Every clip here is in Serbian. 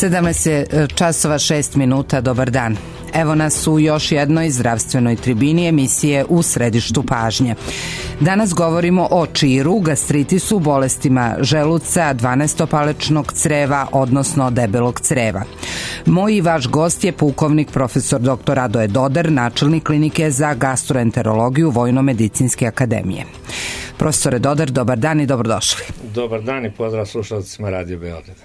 17 je časova 6 minuta, dobar dan. Evo nas u još jednoj zdravstvenoj tribini emisije U središtu pažnje. Danas govorimo o čiru, gastritisu, bolestima želuca, 12-palečnog creva, odnosno debelog creva. Moj i vaš gost je pukovnik profesor dr. Radoje Doder, načelnik klinike za gastroenterologiju Vojno-medicinske akademije. Profesore Doder, dobar dan i dobrodošli. Dobar dan i pozdrav slušalcima Radio Beograda.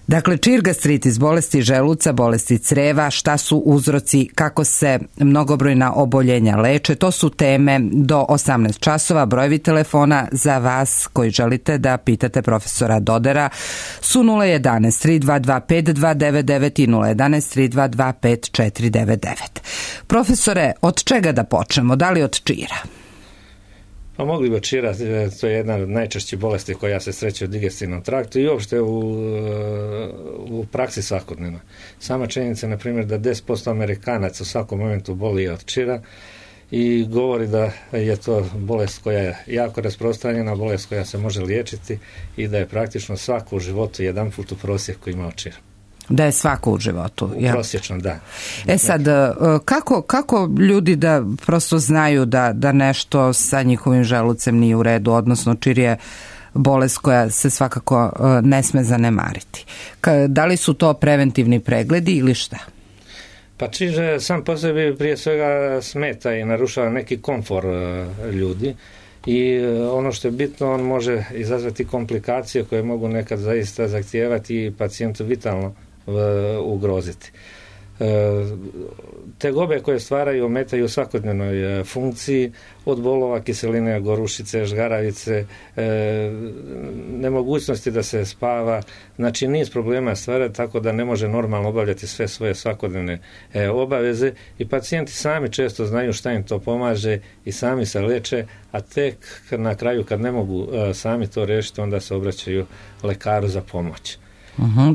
Dakle, čir, gastritis, bolesti želuca, bolesti creva, šta su uzroci, kako se mnogobrojna oboljenja leče, to su teme do 18 časova. Brojevi telefona za vas koji želite da pitate profesora Dodera su 011 322 5299 i 011 322 5499. Profesore, od čega da počnemo? Da li od čira? Pa mogli bi od čira, to je jedna od najčešćih bolesti koja se sreće u digestivnom traktu i uopšte u praksi svakodnevno. Sama činjenica, na primjer, da 10% Amerikanaca u svakom momentu boli od čira i govori da je to bolest koja je jako rasprostranjena, bolest koja se može liječiti i da je praktično svako u životu jedan put u prosjeku imao čir. Da je svako u životu. Prosječno, da. Sad, kako ljudi da prosto znaju da nešto sa njihovim želucem nije u redu, odnosno čir je bolest koja se svakako ne sme zanemariti? Da li su to preventivni pregledi ili šta? Pa čir sam po sebi prije svega smeta i narušava neki komfor ljudi. I ono što je bitno, on može izazvati komplikacije koje mogu nekad zaista zahtijevati i pacijentu vitalno ugroziti. Tegobe koje stvaraju ometaju u svakodnevnoj funkciji, od bolova, kiseline, gorušice, žgaravice, nemogućnosti da se spava, znači niz problema stvara tako da ne može normalno obavljati sve svoje svakodnevne obaveze i pacijenti sami često znaju šta im to pomaže i sami se leče, a tek na kraju kad ne mogu sami to riješiti, onda se obraćaju lekaru za pomoć.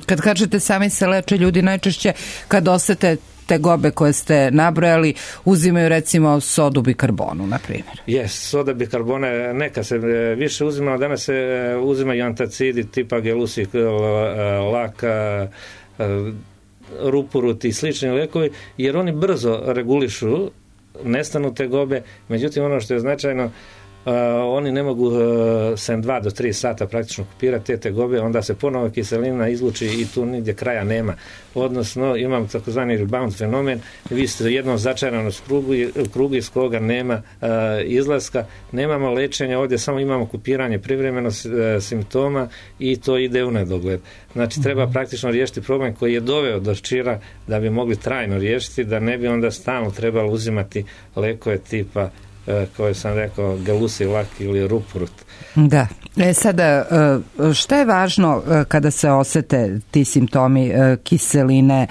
Kad kažete sami se leče, ljudi najčešće kad osete tegobe koje ste nabrojali uzimaju recimo sodu bikarbonu, na primjer. Soda bikarbona neka se više uzima, danas se uzimaju antacidi tipa gelusi, laka, rupurut i slični lekovi, jer oni brzo regulišu, nestanu tegobe, međutim ono što je značajno, oni ne mogu 2 do 3 sata praktično kupirati te tegobe, onda se ponovo kiselina izluči i tu nigdje kraja nema. Odnosno, imam takozvani rebound fenomen, vi ste jednom začaranom krugu iz koga nema izlaska, nemamo lečenja, ovdje samo imamo kupiranje privremeno simptoma i to ide u nedogled. Znači, treba praktično riješiti problem koji je doveo do čira da bi mogli trajno riješiti, da ne bi onda stalno trebalo uzimati lekove tipa koje sam rekao, galusi, lak ili rupurut. Da. Sada, šta je važno kada se osete ti simptomi kiseline,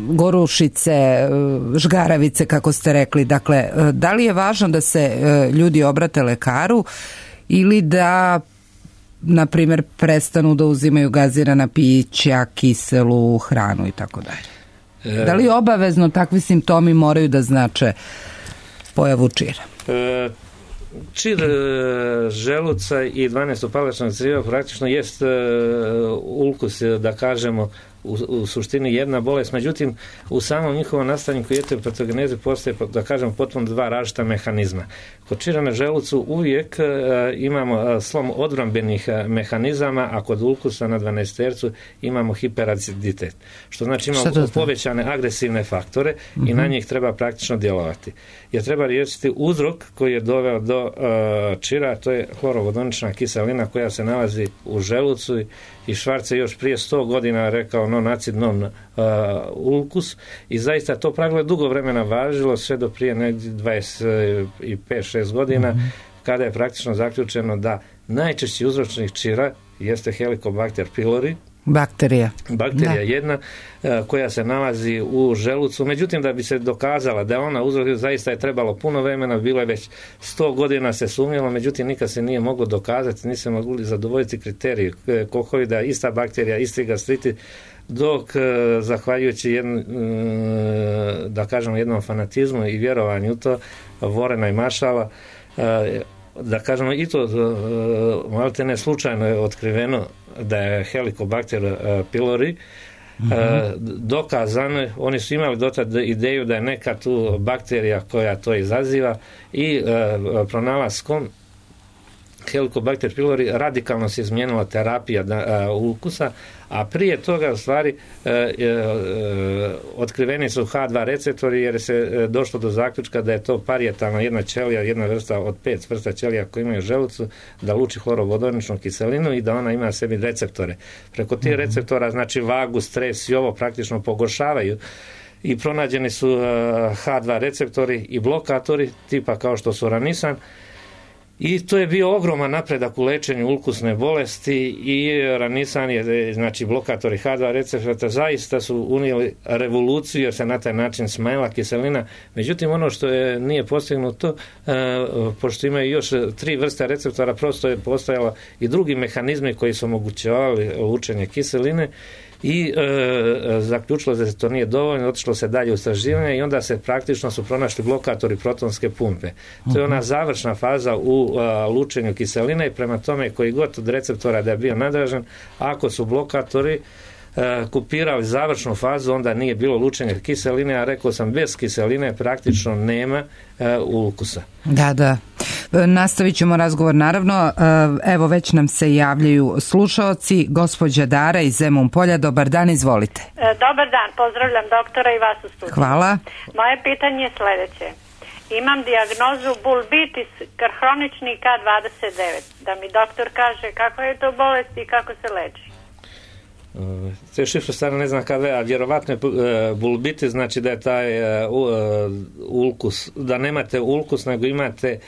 gorušice, žgaravice, kako ste rekli? Dakle, da li je važno da se ljudi obrate lekaru ili da, na primjer, prestanu da uzimaju gazirana pića, kiselu hranu i tako dalje? Da li obavezno takvi simptomi moraju da znače pojavu čira? Čir želuca i 12-palečnog crijeva praktično jest ulkus, da kažemo, u suštini jedna bolest, međutim u samom njihovom nastanju etiopatogeneze postoje, da kažem, potpuno dva različita mehanizma. Kod čira na želucu uvijek imamo slom odbrambenih mehanizama, a kod ulkusa na 12-tercu imamo hiperaciditet, što znači imamo povećane agresivne faktore i na njih treba praktično djelovati. Jer treba riješiti uzrok koji je doveo do čira, to je hlorovodonična kiselina koja se nalazi u želucu i Švarc je još prije 100 godina rekao non acid non ulcus i zaista to pravilo je dugo vremena važilo sve do prije negdje 25-6 godina kada je praktično zaključeno da najčešći uzročnik čira jeste Helicobacter pylori, bakterija jedna koja se nalazi u želucu. Međutim, da bi se dokazala da je ona uzrok, zaista je trebalo puno vremena, bilo je već 100 godina se sumnjalo, međutim nikad se nije moglo dokazati, nisu se mogli zadovoljiti kriteriji koliko da ista bakterija, isti gastritis, dok zahvaljujući da kažemo jednom fanatizmu i vjerovanju u to Warrena i Marshalla da kažemo i to malte ne slučajno je otkriveno da je Helicobacter pylori dokazano, oni su imali dotad ideju da je neka tu bakterija koja to izaziva i pronalaskom Helicobacter pylori radikalno se izmijenila terapija ulkusa, a prije toga u stvari otkriveni su H2 receptori jer se došlo do zaključka da je to parijetalna jedna ćelija, jedna vrsta od 5 vrsta ćelija koje imaju želucu, da luči hlorovodoničnu kiselinu i da ona ima sebi receptore. Preko tih receptora, znači vagu, stres i ovo praktično pogoršavaju i pronađeni su H2 receptori i blokatori tipa kao što su ranisan. I to je bio ogroman napredak u lečenju ulkusne bolesti i ranisan je, znači blokatori H2 receptora zaista su unijeli revoluciju jer se na taj način smanjila kiselina. Međutim, ono što nije postignuto, pošto imaju još 3 vrste receptora, prosto je postojalo i drugi mehanizmi koji su omogućavali lučenje kiseline i zaključilo da se to nije dovoljno, otišlo se dalje u istraživanje i onda se praktično su pronašli blokatori protonske pumpe. To je ona završna faza u lučenju kiseline i prema tome koji god od receptora da je bio nadražen, ako su blokatori kupirali završnu fazu, onda nije bilo lučenja kiseline, a rekao sam bez kiseline praktično nema ulkusa. Da. Nastavit ćemo razgovor naravno. Evo već nam se javljaju slušaoci. Gospođa Dara iz Zemun Polja, dobar dan, izvolite. Dobar dan, pozdravljam doktora i vas u studiju. Hvala. Moje pitanje je sljedeće. Imam dijagnozu bulbitis hronični K29. Da mi doktor kaže kakva je to bolest i kako se leči. To je šifra stvarno ne znam kada, a vjerovatno je bulbitis, znači da je taj ulkus, da nemate ulkus, nego imate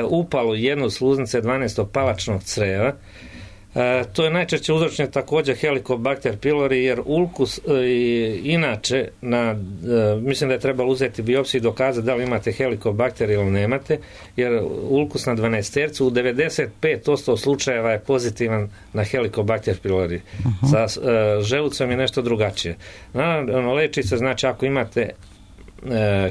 upalu jednu sluznice 12-palačnog creva. To je najčešće uzročnik također Helicobacter pylori, jer ulkus inače, mislim da je trebalo uzeti biopsiju i dokazati da li imate Helicobacter ili nemate, jer ulkus na 12-tercu u 95% slučajeva je pozitivan na Helicobacter pylori. Sa želucom je nešto drugačije. Leči se, znači ako imate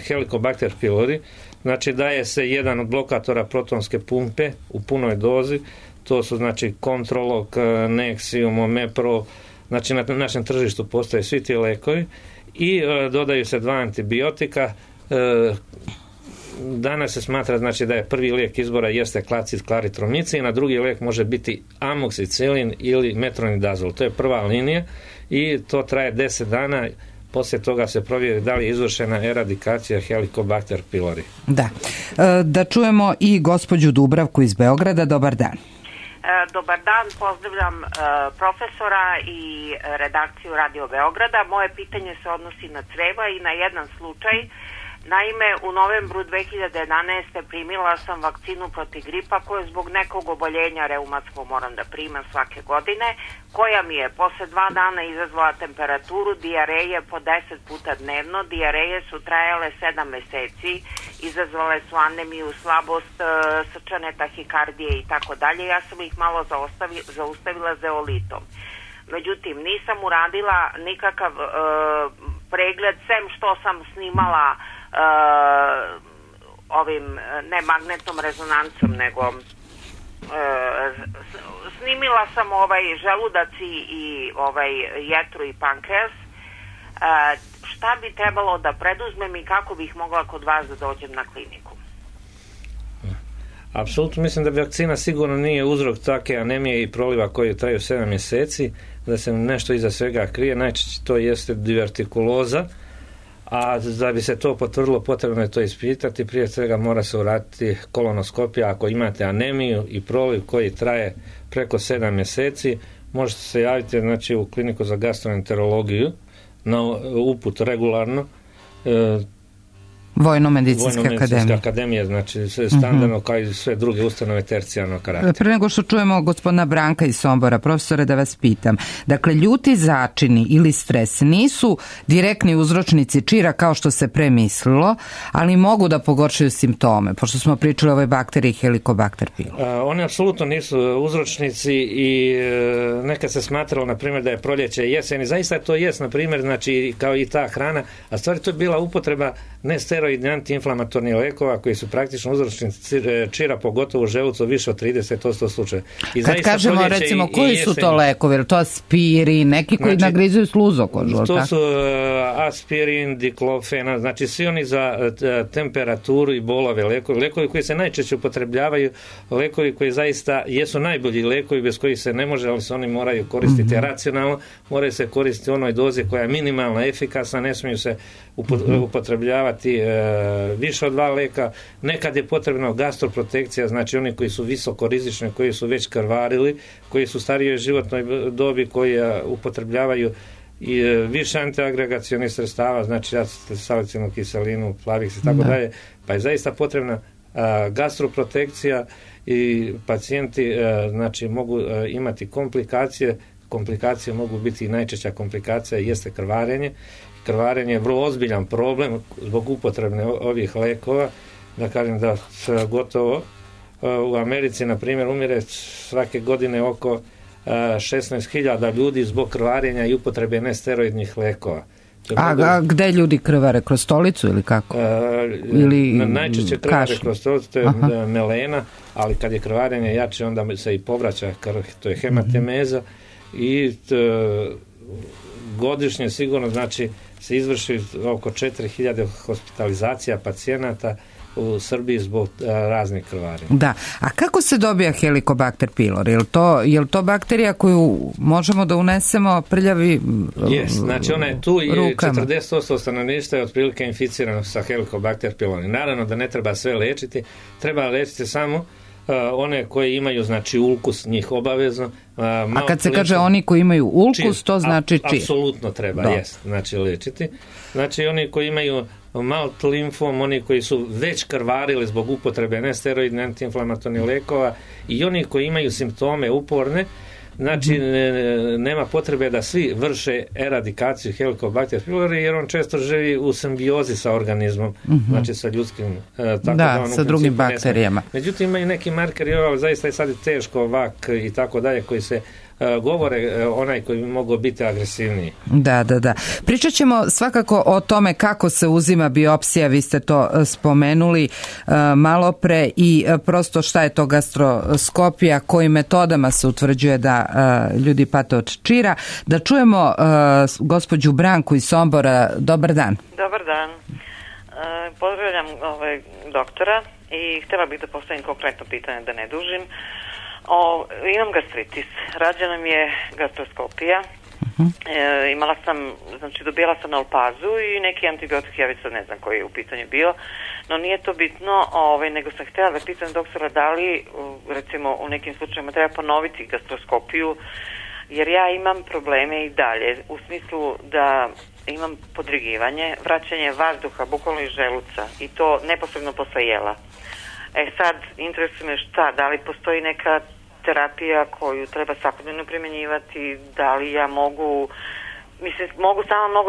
Helicobacter pylori, znači daje se jedan od blokatora protonske pumpe u punoj dozi. To su znači Kontrolog, Nexium, Omepro, znači na našem tržištu postoje svi ti lekovi i dodaju se 2 antibiotika. Danas se smatra znači da je prvi lijek izbora jeste klacid klaritromicin, a drugi lijek može biti amoxicillin ili metronidazol. To je prva linija i to traje 10 dana. Poslije toga se provjeri da li je izvršena eradikacija Helicobacter pylori. Da čujemo i gospođu Dubravku iz Beograda. Dobar dan. Dobar dan, pozdravljam profesora i redakciju Radio Beograda. Moje pitanje se odnosi na creva i na jedan slučaj. Naime, u novembru 2011. primila sam vakcinu protiv gripa koju zbog nekog oboljenja reumatskog moram da primam svake godine, koja mi je posle 2 dana izazvala temperaturu, dijareje po 10 puta dnevno. Dijareje su trajale 7 meseci, izazvale su anemiju, slabost, srčane tahikardije i tako dalje. Ja sam ih malo zaustavila zeolitom. Međutim, nisam uradila nikakav pregled, sem što sam snimala ovim, ne magnetnom rezonancom, nego snimila sam želudac i jetru i pankreas. Šta bi trebalo da preduzmem i kako bih mogla kod vas da dođem na kliniku? Apsolutno mislim da vakcina sigurno nije uzrok takve anemije i proliva koji traju 7 mjeseci, da se nešto iza svega krije. Najčešće to jeste divertikuloza, a da bi se to potvrdilo potrebno je to ispitati. Prije svega mora se uraditi kolonoskopija ako imate anemiju i proliv koji traje preko 7 mjeseci. Možete se javiti znači u kliniku za gastroenterologiju na uput regularno. Vojno-medicinske akademije, znači standardno kao i sve druge ustanove tercijarnog karaktera. Pre nego što čujemo gospodina Branka iz Sombora, profesore, da vas pitam. Dakle, ljuti začini ili stres nisu direktni uzročnici čira kao što se premislilo, ali mogu da pogoršaju simptome, pošto smo pričali o ovoj bakteriji Helicobacter pylori. Oni apsolutno nisu uzročnici i nekad se smatralo, na primjer, da je proljeće i jesen i zaista to jest, na primjer, znači kao i ta hrana, a stvari to je bila upotreba nesteroidnih nesteroidni antiinflamatorni lekova koji su praktično uzročnici čira, pogotovo u želucu, više od 30% slučaja. Kad kažemo, recimo, koji su to lekovi? Je li to aspirin, neki koji nagrizuju sluzokožu? To su aspirin, diklofena, znači svi oni za temperaturu i bolove lekovi koji se najčešće upotrebljavaju, lekovi koji zaista jesu najbolji lekovi bez kojih se ne može, ali se oni moraju koristiti racionalno, moraju se koristiti u onoj dozi koja je minimalna, efikasna, ne smiju se upotrebljavati više od 2 leka. Nekad je potrebna gastroprotekcija, znači oni koji su visoko rizični, koji su već krvarili, koji su starije životnoj dobi, koji upotrebljavaju i više antiagregacionih sredstava, znači salicilnu kiselinu, Plavix i tako dalje, pa je zaista potrebna gastroprotekcija i pacijenti znači mogu imati komplikacije mogu biti i najčešća komplikacija jeste krvarenje. Krvarenje je vrlo ozbiljan problem zbog upotrebne ovih lekova, da kažem da gotovo u Americi na primjer umire svake godine oko 16.000 ljudi zbog krvarenja i upotrebe nesteroidnih lekova. A gde ljudi krvare? Kroz stolicu ili kako? Ili najčešće krvare kroz stolicu, to je melena, ali kad je krvarenje jače onda se i povraća krv, to je hematemeza i godišnje sigurno znači se izvrši oko 4.000 hospitalizacija pacijenata u Srbiji zbog raznih krvarenja. Da, a kako se dobija Helicobacter pylori? Je li to bakterija koju možemo da unesemo prljavi rukama? Znači ona je tu i 40% stanovništva je otprilike inficirano sa Helicobacter pylori. Naravno da ne treba sve lečiti, treba lečiti samo one koji imaju znači ulkus, njih obavezno. A kad se kaže oni koji imaju ulkus, to znači čir? Apsolutno treba, znači lečiti. Znači oni koji imaju malt limfom, oni koji su već krvarili zbog upotrebe nesteroidnih antiinflamatornih lekova i oni koji imaju simptome uporne, znači nema potrebe da svi vrše eradikaciju Helicobacter pylori jer on često živi u simbiozi sa organizmom, znači sa ljudskim, tako da on sa drugim bakterijama. Međutim, imaju neki markeri, zaista je sad teško vak i tako dalje koji se govore onaj koji bi mogao biti agresivniji. Da. Pričat ćemo svakako o tome kako se uzima biopsija, vi ste to spomenuli malo pre i prosto šta je to gastroskopija, kojim metodama se utvrđuje da ljudi pate od čira. Da čujemo gospođu Branku iz Sombora. Dobar dan. Dobar dan. Pozdravljam doktora i htjela bih da postavim konkretno pitanje da ne dužim. Imam gastritis, rađena mi je gastroskopija, imala sam, znači dobijala sam Alpazu i neki antibiotik, ja već sad ne znam koji je u pitanju bio, no nije to bitno, nego sam htjela da pitam doktora da li, recimo u nekim slučajima treba ponoviti gastroskopiju, jer ja imam probleme i dalje, u smislu da imam podrigivanje, vraćanje vazduha, bukvalno iz želuca i to neposredno posle jela. Sad, interesuje me šta, da li postoji neka terapija koju treba svakodnevno primjenjivati, da li ja mogu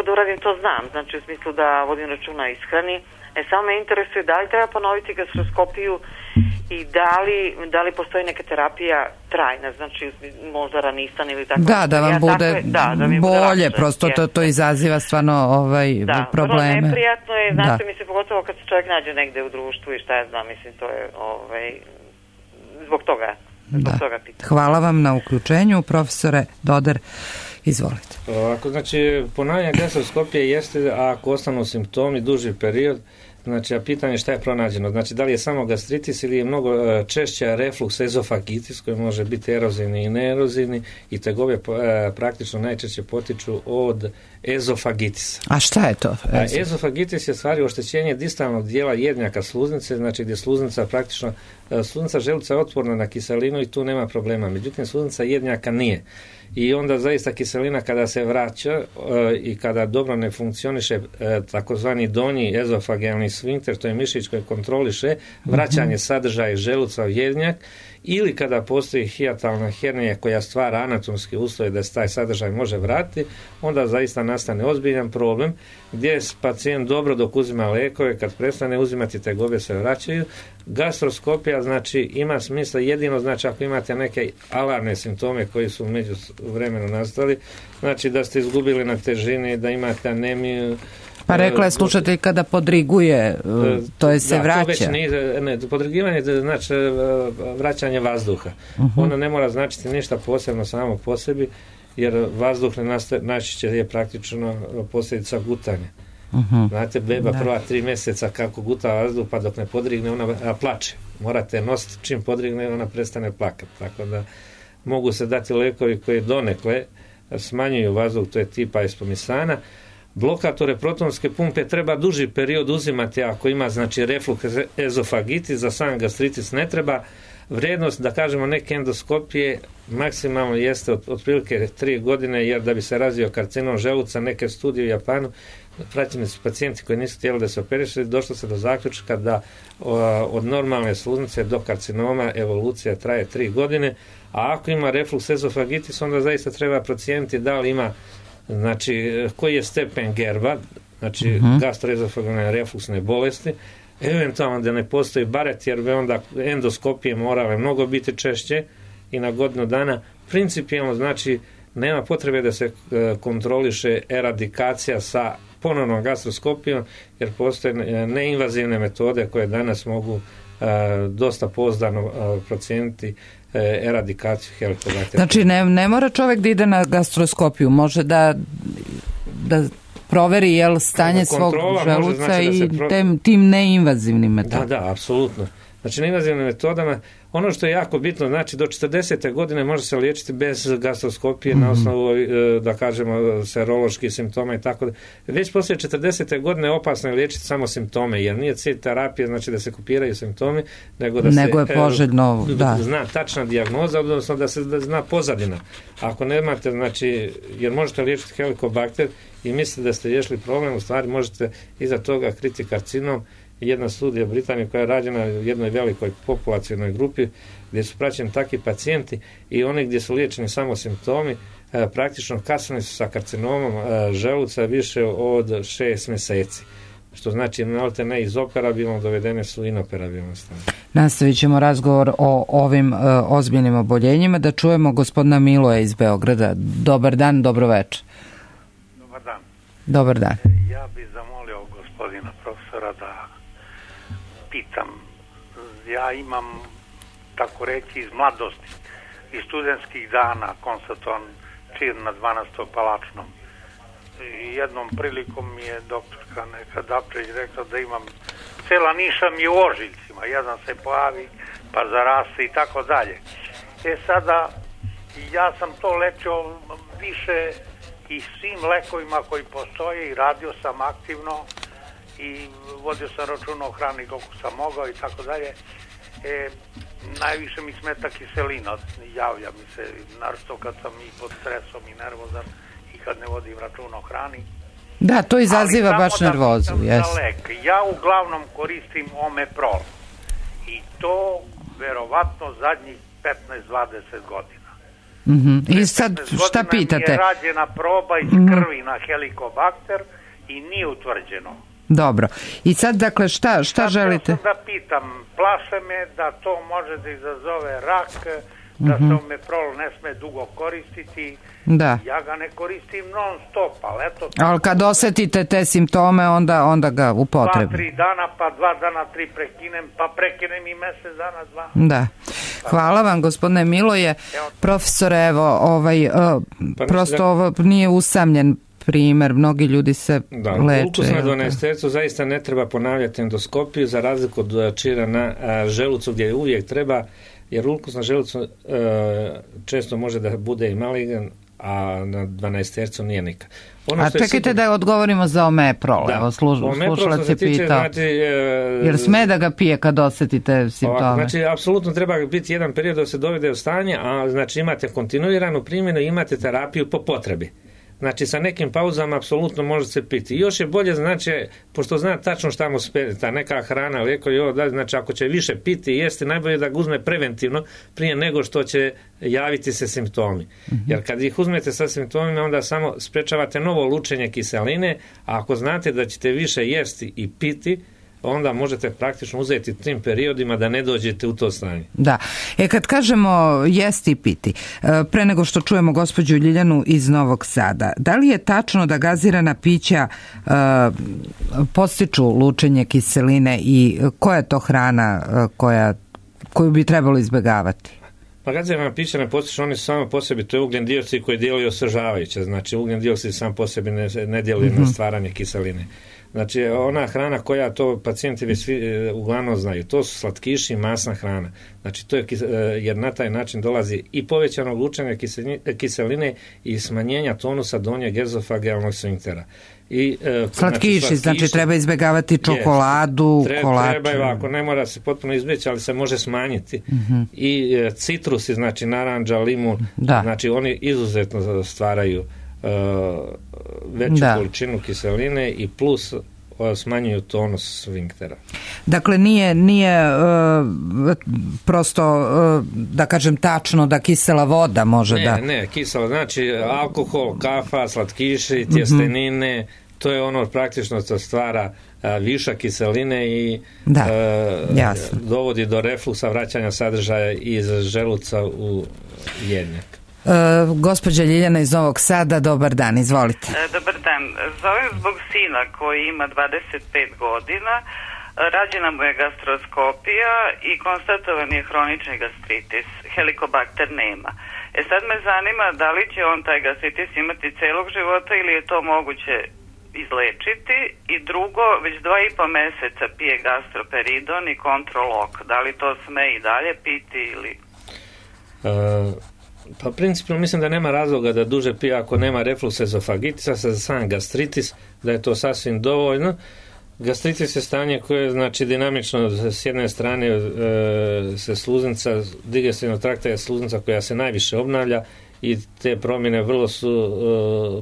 da uradim, to znam, znači u smislu da vodim računa o ishrani. Samo me interesuje da li treba ponoviti gastroskopiju i da li postoji neka terapija trajna, znači možda ranisan ili tako. Da vam bude bolje, prosto to izaziva stvarno probleme. Da, neprijatno je, znači mislim, pogotovo kad se čovjek nađe negde u društvu i šta ja znam, mislim, to je zbog toga. Hvala vam na uključenju, profesore Doder, izvolite. Ako znači ponavljanje gastroskopije jeste ako ostanu simptomi duži period, znači a pitanje šta je pronađeno, znači da li je samo gastritis ili je mnogo češća reflux ezofagitis koji može biti erozivni i neerozivni i tegobe praktično najčešće potiču od ezofagitisa. A šta je to? Ezofagitis je stvari oštećenje distalnog dijela jednjaka sluznice, znači gdje sluznica praktično, sluznica želuca je otporna na kiselinu i tu nema problema, međutim sluznica jednjaka nije. I onda zaista kiselina kada se vraća i kada dobro ne funkcioniše takozvani donji ezofagealni sfinkter, to je mišić koji kontroliše vraćanje sadržaja želuca u jednjak, ili kada postoji hijatalna hernija koja stvara anatomske uslove da se taj sadržaj može vratiti, onda zaista nastane ozbiljan problem gdje pacijent dobro dok uzima lekove, kad prestane uzimati tegobe se vraćaju. Gastroskopija znači ima smisla jedino znači ako imate neke alarmne simptome koji su među vremenu nastali, znači da ste izgubili na težini, da imate anemiju, Pa rekla je slušatelj kada podriguje, to je se vraća. To već podrigivanje znači vraćanje vazduha. Ono ne mora značiti ništa posebno samo po sebi, jer vazduh najčešće je praktično posljedica gutanja. Znate, beba prva 3 mjeseca kako guta vazduh, pa dok ne podrigne ona plače. Morate nositi, čim podrigne ona prestane plakati. Tako da mogu se dati lekovi koji donekle smanjuju vazduh, to je tipa espumisana. Blokatore protonske pumpe treba duži period uzimati ako ima znači reflux ezofagitis, za sam gastritis ne treba. Vrijednost, da kažemo, neke endoskopije maksimalno jeste otprilike 3 godine, jer da bi se razvio karcinom želuca, neke studije u Japanu, praćeni su pacijenti koji nisu htjeli da se operišu, došlo se do zaključka da od normalne sluznice do karcinoma evolucija traje 3 godine, a ako ima reflux ezofagitis, onda zaista treba procijeniti da li ima, znači, koji je stepen gerba, znači gastroezofagealne refluksne bolesti, eventualno da ne postoji baret, jer bi onda endoskopije morale mnogo biti češće i na godinu dana. Principijalno znači nema potrebe da se kontroliše eradikacija sa ponovnom gastroskopijom, jer postoje neinvazivne metode koje danas mogu dosta pouzdano procijeniti eradikaciju helikobaktera. Znači ne mora čovjek da ide na gastroskopiju, može da proveri stanje svog želuca i tim neinvazivnim metodama. Da, apsolutno. Znači, neinvazivnim metodama, ono što je jako bitno, znači do 40. godine može se liječiti bez gastroskopije na osnovu, da kažemo, seroloških simptoma i tako da. Već poslije 40. godine opasno je liječiti samo simptome, jer nije cilj terapije, znači da se kopiraju simptomi, nego da je poželjno, zna tačna dijagnoza, odnosno da se zna pozadina. Ako nemate, znači, jer možete liječiti helikobakter i mislite da ste riješili problem, u stvari možete iza toga kriti karcinom. Jedna studija u Britaniji koja je rađena u jednoj velikoj populacionoj grupi gdje su praćeni takvi pacijenti i oni gdje su liječeni samo simptomi, praktično kasnili su sa karcinomom želuca više od 6 mjeseci. Što znači ne iz operabilno dovedene su inoperabilno stanje. Nastavit ćemo razgovor o ovim ozbiljnim oboljenjima. Da čujemo gospodina Miloja iz Beograda. Dobar dan, dobro večer. Dobar dan. Dobar dan. Ja bih zamolio gospodina profesora da pitam. Ja imam, tako reći, iz mladosti, iz studentskih dana konstatovan čir na 12. palačnom. Jednom prilikom mi je doktorka neka Dapčević rekla da imam, cela niša mi je u ožiljcima, jedan se pojavi, pa zaraste i tako dalje. Sada, ja sam to lečio više i svim lekovima koji postoje i radio sam aktivno i vodio sam računa o hrani koliko sam mogao i tako dalje. Najviše mi smeta kiselina, javlja mi se, naročito kad sam i pod stresom i nervozan i kad ne vodim računa o hrani. Da, to izaziva baš nervozu. Ja uglavnom koristim Omeprol i to verovatno zadnjih 15-20 godina. I sad šta pitate? Je rađena proba iz krvi na helikobakter i nije utvrđeno. Dobro. I sad, dakle, šta želite? Sad da pitam, plaše me da to može da izazove rak, da se Omeprol ne sme dugo koristiti. Da. Ja ga ne koristim non stop, ali eto... Ali kad osetite te simptome, onda ga upotrebite. 2-3 dana, pa 2 dana, 3 prekinem, pa prekinem i mjesec dana, 2. Da. Hvala vam, gospodine Miloje. Profesore, evo, prosto ovo nije usamljen primer, mnogi ljudi se leče. Ulkus na 12. zaista ne treba ponavljati endoskopiju za razliku od čira na želucu gdje uvijek treba, jer ulkus na želucu često može da bude i maligan, a na 12. nije nikad. A čekajte da odgovorimo za Omeprol. Evo, slušalac je pitao. Jer sme da ga pije kad osetite simptome? Znači, apsolutno treba biti jedan period da se dovede u stanje, a znači imate kontinuiranu primjenu i imate terapiju po potrebi. Znači, sa nekim pauzama apsolutno može se piti. I još je bolje, znači, pošto zna tačno šta mu ta neka hrana, lijeko i ovo, znači, ako će više piti i jesti, najbolje da ga uzme preventivno prije nego što će javiti se simptomi. Jer kad ih uzmete sa simptomima, onda samo sprečavate novo lučenje kiseline, a ako znate da ćete više jesti i piti, onda možete praktično uzeti tim periodima da ne dođete u to stanje. Da. Kad kažemo jesti i piti, pre nego što čujemo gospođu Ljiljanu iz Novog Sada, da li je tačno da gazirana pića podstiču lučenje kiseline i koja je to hrana koju bi trebalo izbjegavati? Pa gazirana pića ne podstiču, oni samo po sebi, to je ugljen dioksid koji djeluje osvežavajuće, znači ugljen dioksid sam po sebi ne djeluje na stvaranje kiseline. Znači, ona hrana koja to pacijenti već svi uglavnom znaju, to su slatkiši i masna hrana. Znači, to je, jer na taj način dolazi i povećano lučenja kiseline i smanjenja tonusa donjeg ezofagealnog sfinktera. Slatkiši, znači treba izbjegavati čokoladu, kolače. Treba, ako ne mora se potpuno izbjeći, ali se može smanjiti. I citrusi, znači naranđa, limun, znači oni izuzetno stvaraju veću količinu kiseline i plus smanjuju tonus sfinktera. Dakle, nije prosto, da kažem tačno, da kisela voda može Ne, kisela, znači alkohol, kafa, slatkiši, tjestenine, to je ono praktično što stvara višak kiseline i dovodi do refluksa, vraćanja sadržaja iz želuca u jednjak. Gospođa Ljiljana iz Novog Sada, dobar dan, izvolite. Dobar dan, zovem zbog sina koji ima 25 godina, rađena mu je gastroskopija i konstatovan je hronični gastritis, helikobakter nema. Sad me zanima da li će on taj gastritis imati celog života ili je to moguće izlečiti, i drugo, već 2,5 meseca pije gastroperidon i kontrolok, da li to sme i dalje piti ili... Pa principno mislim da nema razloga da duže pije ako nema refluksa ezofagitisa, za sam gastritis, da je to sasvim dovoljno. Gastritis je stanje koje znači dinamično, s jedne strane se sluznica, digestivnog trakta je sluznica koja se najviše obnavlja i te promjene vrlo su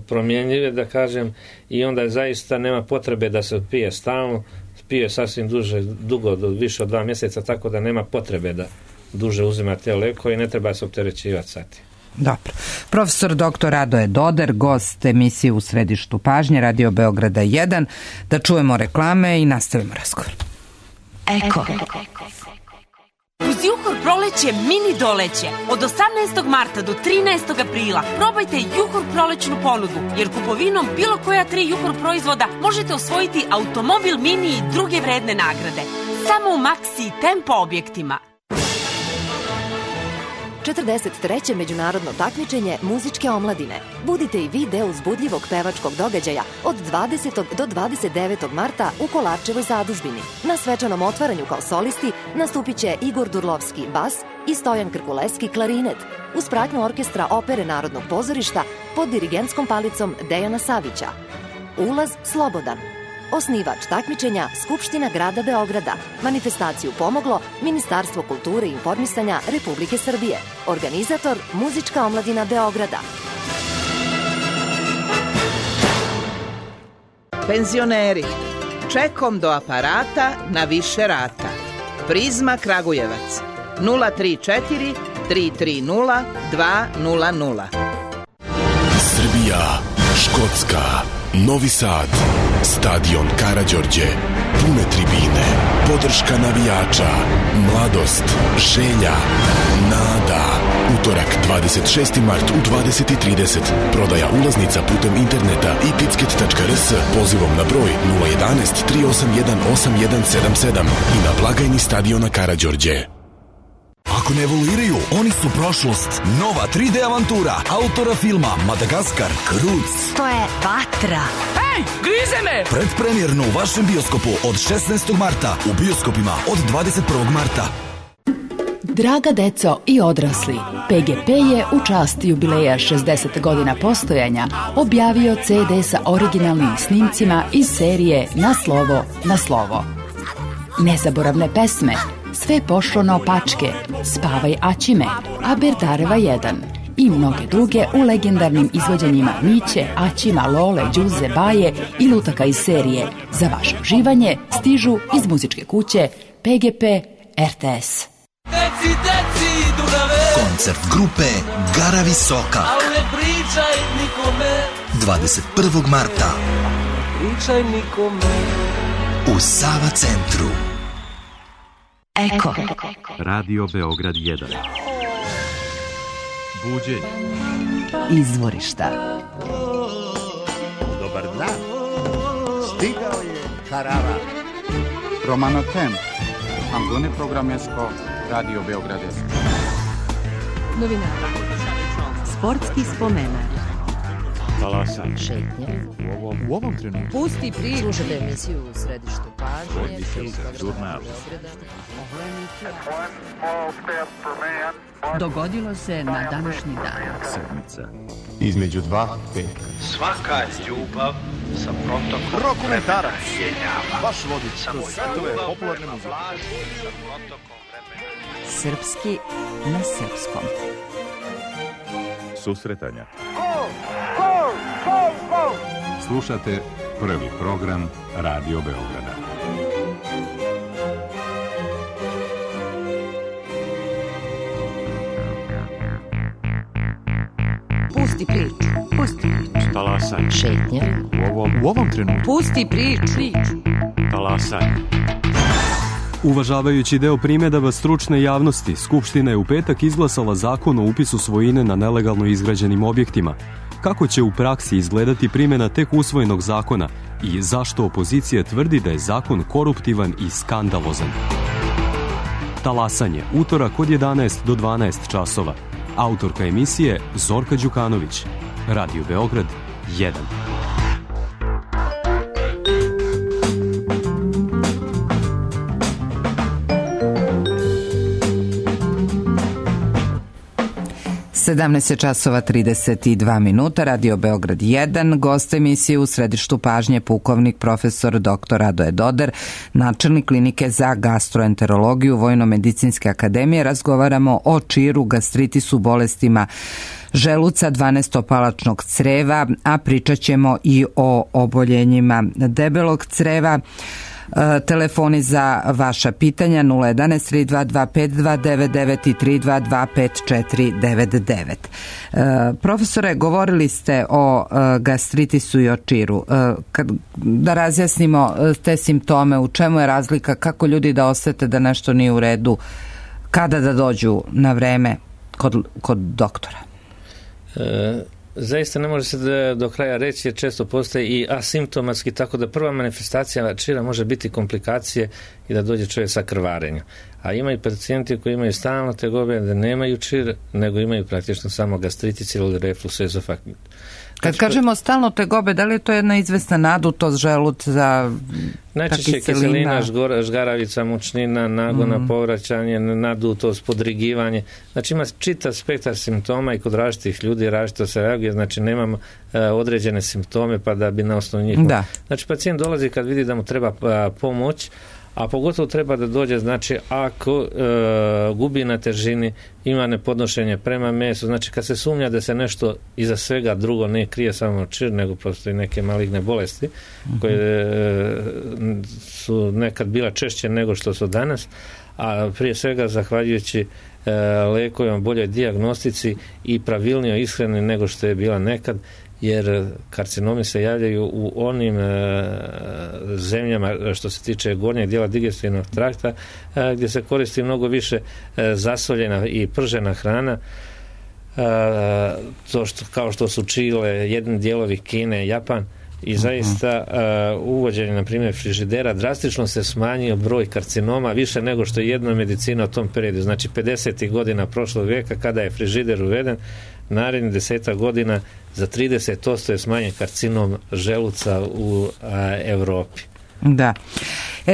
promjenjive, da kažem, i onda zaista nema potrebe da se pije stalno, pije sasvim dugo, više od 2 mjeseca, tako da nema potrebe da duže uzima te lekove i ne treba se opterećivati sati. Dobro. Profesor dr. Radoje Doder, gost emisije U središtu pažnje, Radio Beograda 1. Da čujemo reklame i nastavimo razgovor. Eko. Uz Juhor proleće mini doleće. Od 18. marta do 13. aprila probajte Juhor prolećnu ponudu, jer kupovinom bilo koja 3 Juhor proizvoda možete osvojiti automobil mini i druge vredne nagrade. Samo u Maxi i Tempo objektima. 43. međunarodno takmičenje muzičke omladine. Budite i vi deo uzbudljivog pevačkog događaja od 20. do 29. marta u Kolarčevoj zadužbini. Na svečanom otvaranju kao solisti nastupit će Igor Durlovski bas i Stojan Krkuleski klarinet, uz pratnju orkestra Opere Narodnog pozorišta pod dirigentskom palicom Dejana Savića. Ulaz slobodan. Osnivač takmičenja Skupština grada Beograda. Manifestaciju pomoglo Ministarstvo kulture i informisanja Republike Srbije. Organizator Muzička omladina Beograda. Penzioneri, čekom do aparata na više rata. Prizma Kragujevac 034 330 200. Srbija, Škotska, Novi Sad, Stadion Karađorđe, pune tribine, podrška navijača, mladost, želja, nada. Utorak 26. mart u 20:30. Prodaja ulaznica putem interneta i ticket.rs pozivom na broj 011 381 8177 i na blagajni Stadiona Karađorđe. Ako ne evoluiraju, oni su prošlost. Nova 3D avantura autora filma Madagaskar, Kruc. To je vatra. Ej, grize me! Predpremjerno u vašem bioskopu od 16. marta, u bioskopima od 21. marta. Draga deco i odrasli, PGP je u čast jubileja 60 godina postojanja objavio CD sa originalnim snimcima iz serije Na slovo, na slovo. Nezaboravne pesme, Sve pošlo naopačke, Spavaj Aćime, Aberdareva 1 i mnoge druge u legendarnim izvođenjima Miće, Aćima, Lole, Đuze, Baje i lutaka iz serije. Za vaše uživanje stižu iz muzičke kuće PGP RTS. Koncert grupe Gara Visoka 21. marta. u Sava centru. Eko. Radio Beograd 1. Buđenje. Izvorišta. Dobar dan. Stigao je karavan. Romano Temp. Ambune programesko Radio Beograd 1. Novinara. Sportski spomenar. Talasaj. Šetnje. U ovom trenutku. Pusti priču. Slušajte emisiju u središtu pažnje. Žurnal. Dogodilo se na današnji dan. Sedmica. Između dva peka. Svaka ljubav sa protokom Dokumentarac. Vaš vodič kroz svetove popularne muzike. Srpski na srpskom. Susretanja. Slušate prvi program Radio Beograda. Pusti priču. Pusti priču. Talasaj. Šetnje. U ovom trenutku. Pusti priču. Talasaj. Uvažavajući deo primjedaba stručne javnosti, Skupština je u petak izglasala zakon o upisu svojine na nelegalno izgrađenim objektima. Kako će u praksi izgledati primjena tek usvojenog zakona i zašto opozicija tvrdi da je zakon koruptivan i skandalozan? Talasanje, utorak od 11 do 12 časova. Autorka emisije Zorka Đukanović. Radio Beograd 1. časova 32 minuta, Radio Beograd 1, gost emisije u središtu pažnje pukovnik profesor dr. Radoje Doder, načelnik klinike za gastroenterologiju Vojno-medicinske akademije. Razgovaramo o čiru, gastritisu, bolestima želuca, 12-palačnog creva, a pričat ćemo i o oboljenjima debelog creva. Telefoni za vaša pitanja 011 322 5299 i 322 5499. Profesore, govorili ste o gastritisu i o čiru. Da razjasnimo te simptome, u čemu je razlika, kako ljudi da osete da nešto nije u redu, kada da dođu na vreme kod doktora? Zaista ne može se do kraja reći, jer često postaje i asimptomatski, tako da prva manifestacija čira može biti komplikacije i da dođe čovjek sa krvarenjem. A ima i pacijenti koji imaju stalno tegobe, da nemaju čir, nego imaju praktično samo gastritis ili reflux ezofagni. Kad kažemo stalno tegobe, da li je to jedna izvesna nadutost želuca, najčešće kiselina, žgaravica, mučnina, nagona, povraćanje, nadutost, podrigivanje. Znači ima čitav spektar simptoma i kod različitih ljudi različito se reaguje, znači nemamo određene simptome pa da bi na osnovu njih. Znači pacijent dolazi kad vidi da mu treba pomoć, a pogotovo treba da dođe, znači ako gubi na težini, ima nepodnošenje prema mesu, znači kad se sumnja da se nešto iza svega drugo ne krije samo čir, nego prosto i neke maligne bolesti koje su nekad bila češće nego što su danas, a prije svega zahvaljujući lekovima, boljoj dijagnostici i pravilnijoj ishrani nego što je bila nekad, jer karcinomi se javljaju u onim zemljama što se tiče gornjeg dijela digestivnog trakta gdje se koristi mnogo više zasoljena i pržena hrana, kao što su Čile, jedni dijelovi Kine, Japan, i zaista uvođenje na primjer frižidera drastično se smanjio broj karcinoma više nego što je jedna medicina u tom periodu. Znači 50. godina prošlog vijeka kada je frižider uveden, narednih 10 godina za 30% je smanjen karcinom želuca u Europi. Da.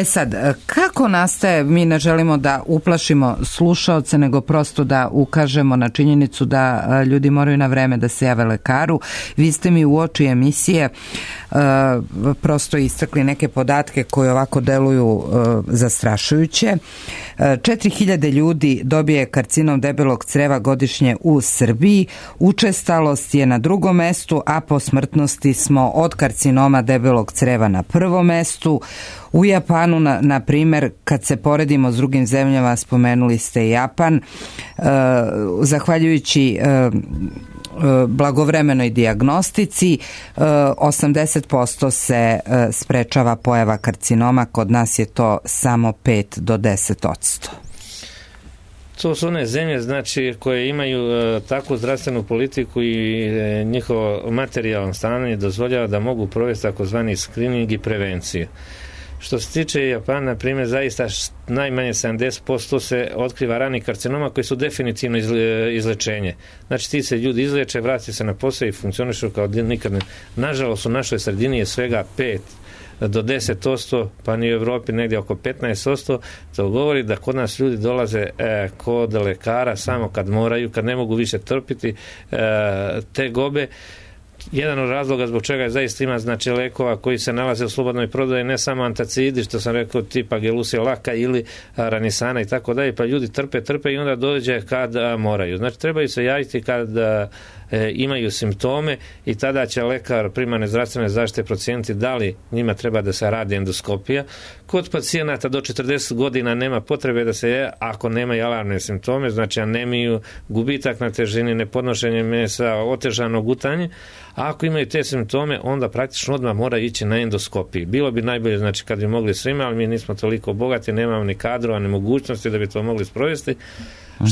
Sad, kako nastaje, mi ne želimo da uplašimo slušaoce, nego prosto da ukažemo na činjenicu da ljudi moraju na vreme da se jave lekaru. Vi ste mi uoči emisije prosto istakli neke podatke koje ovako deluju zastrašujuće. 4000 ljudi dobije karcinom debelog creva godišnje u Srbiji. Učestalost je na drugom mestu, a po smrtnosti smo od karcinoma debelog creva na prvom mestu. U Japanu, na primjer, kad se poredimo s drugim zemljama, spomenuli ste Japan, zahvaljujući blagovremenoj dijagnostici, 80% se sprečava pojava karcinoma, kod nas je to samo 5 do 10%. To su one zemlje, znači, koje imaju takvu zdravstvenu politiku i njihovo materijalno stanje dozvoljava da mogu provesti takozvani screening i prevenciju. Što se tiče Japana, na primjer, zaista najmanje 70% se otkriva rani karcinoma koji su definitivno izlečenje. Znači, ti se ljudi izleče, vrati se na posao i funkcionišu kao nikad ne. Nažalost, u našoj sredini je svega 5 do 10%, pa ni u Evropi negdje oko 15%, to govori da kod nas ljudi dolaze kod lekara samo kad moraju, kad ne mogu više trpiti te gobe. Jedan od razloga zbog čega je zaista ima, znači, lekova koji se nalaze u slobodnoj prodaji, ne samo antacidi, što sam rekao, tipa Gelusija laka ili Ranisana i tako dalje, pa ljudi trpe i onda dođe kad moraju. Znači, trebaju se javiti kad imaju simptome i tada će lekar primarne zdravstvene zaštite procijeniti da li njima treba da se radi endoskopija. Kod pacijenata do 40 godina nema potrebe da se ako nemaju alarmne simptome, znači anemiju, gubitak na težini, nepodnošenje mesa, otežano gutanje. A ako imaju te simptome, onda praktično odmah mora ići na endoskopiju. Bilo bi najbolje, znači, kad bi mogli svima, ali mi nismo toliko bogati, nemamo ni kadrova, ni mogućnosti da bi to mogli sprovesti.